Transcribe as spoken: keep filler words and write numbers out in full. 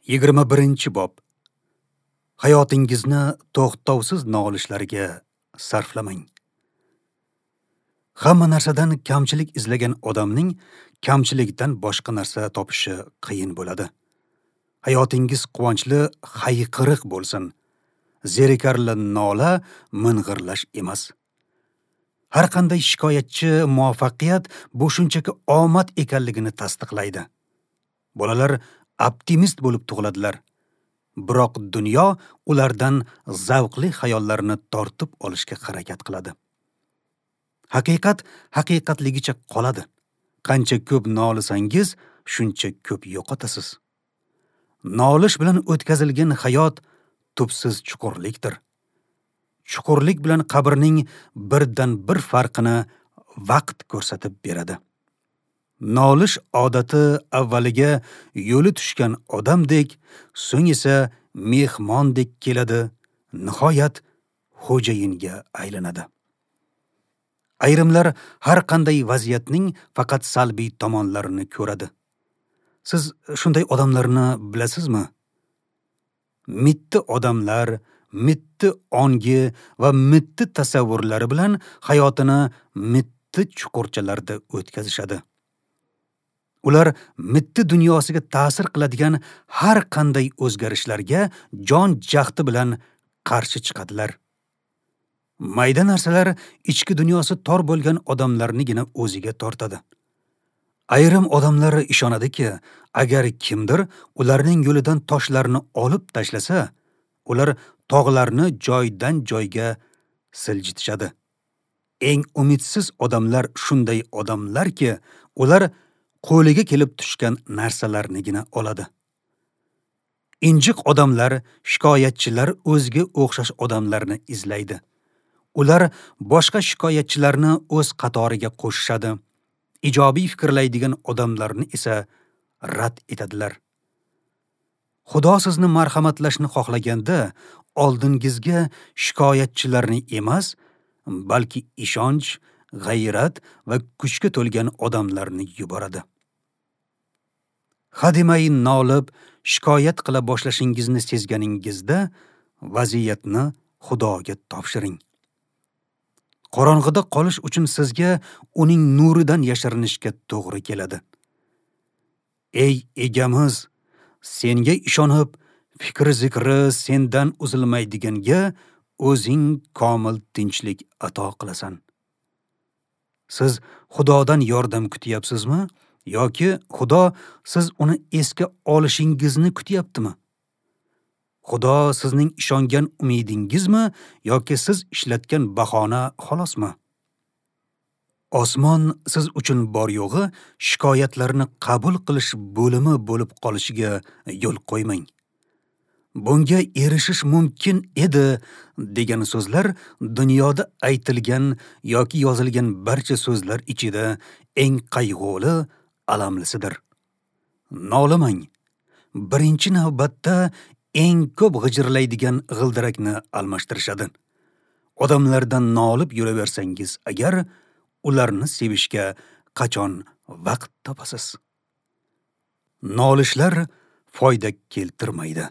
Yigirma birinchi bob. Hayotingizni to'xtovsiz nolishlarga sarflamang. Hamma narsadan kamchilik izlagan odamning kamchilikdan boshqa narsa topishi qiyin bo'ladi. Hayotingiz quvonchli hayqiriq bo'lsin. Zerikarli nola ming'irlash emas. Har qanday shikoyatchi muvaffaqiyat bu shunchaki omad ekanligini tasdiqlaydi. Bolalar optimist bo'lib tug'iladilar. Biroq dunyo ulardan zavqli xayollarni tortib olishga harakat qiladi. Haqiqat haqiqatligicha qoladi. Qancha ko'p nolisangiz, shuncha ko'p yo'qotasiz. Nolish bilan o'tkazilgan hayot tubsiz chuqurlikdir. Chuqurlik bilan qabrning birdan bir farqini vaqt ko'rsatib beradi. Nolish odati avvaliga yo'li tushgan odamdek, so'ng esa mehmondek keladi, nihoyat xo'jayinga aylanadi. Ayrimlar har qanday vaziyatning faqat salbiy tomonlarini ko'radi. Siz shunday odamlarni bilasizmi? Mitti odamlar mitti ongi va mitti tasavvurlari bilan hayotini mitti chuqurchalarda o'tkazishadi. Ular mitti dunyosiga ta'sir qiladigan har qanday o'zgarishlarga jon jahdi bilan qarshi chiqadilar. Mayda narsalar ichki dunyosi tor bo'lgan odamlarnigina o'ziga tortadi. Ayrim odamlar ishonadiki, agar kimdir ularning yo'lidan toshlarni olib tashlasa, ular tog'larni joydan joyga siljitishadi. Eng umidsiz odamlar shunday odamlarki, ular qo'liga kelib tushgan narsalarnigina oladi. Injiq odamlar, shikoyatchilar o'ziga o'xshash odamlarni izlaydi. Ular boshqa shikoyatchilarni o'z qatoriga qo'shishadi. Ijobiy fikrlaydigan odamlarni esa rad etadilar. Xudo sizni marhamatlashni xohlaganda oldingizga shikoyatchilarni emas, balki ishonch, g'ayrat va kuchga to'lgan odamlarni yuboradi. Hademay nolib, shikoyat qila boshlashingizni sezganingizda vaziyatni Xudoga topshiring. Qorong'ida qolish uchun sizga uning nuridan yashirinishga to'g'ri keladi. Ey egamiz, senga ishonib, fikri zikri sendan uzilmaydiganga o'zing komil tinchlik ato qilasan. Siz Xudodan yordam kutyapsizmi yoki Xudo siz uni esga olishingizni kutyaptimi? Xudo sizning ishongan umidingizmi yoki siz ishlatgan bahona xolosmi? Osmon siz uchun bor yo'g'i shikoyatlarni qabul qilish bo'limi bo'lib qolishiga yo'l qo'ymang. Bunga erishish mumkin edi degan so'zlar dunyoda aytilgan yoki yozilgan barcha so'zlar ichida eng qayg'uli, alamlisidir. Nolimang. Birinchi navbatda eng ko'p g'ijirlaydigan g'ildirakni almashtirishadi. Odamlardan nolib yuraversangiz agar, ularni sevishga qachon vaqt topasiz? Nolishlar foyda keltirmaydi.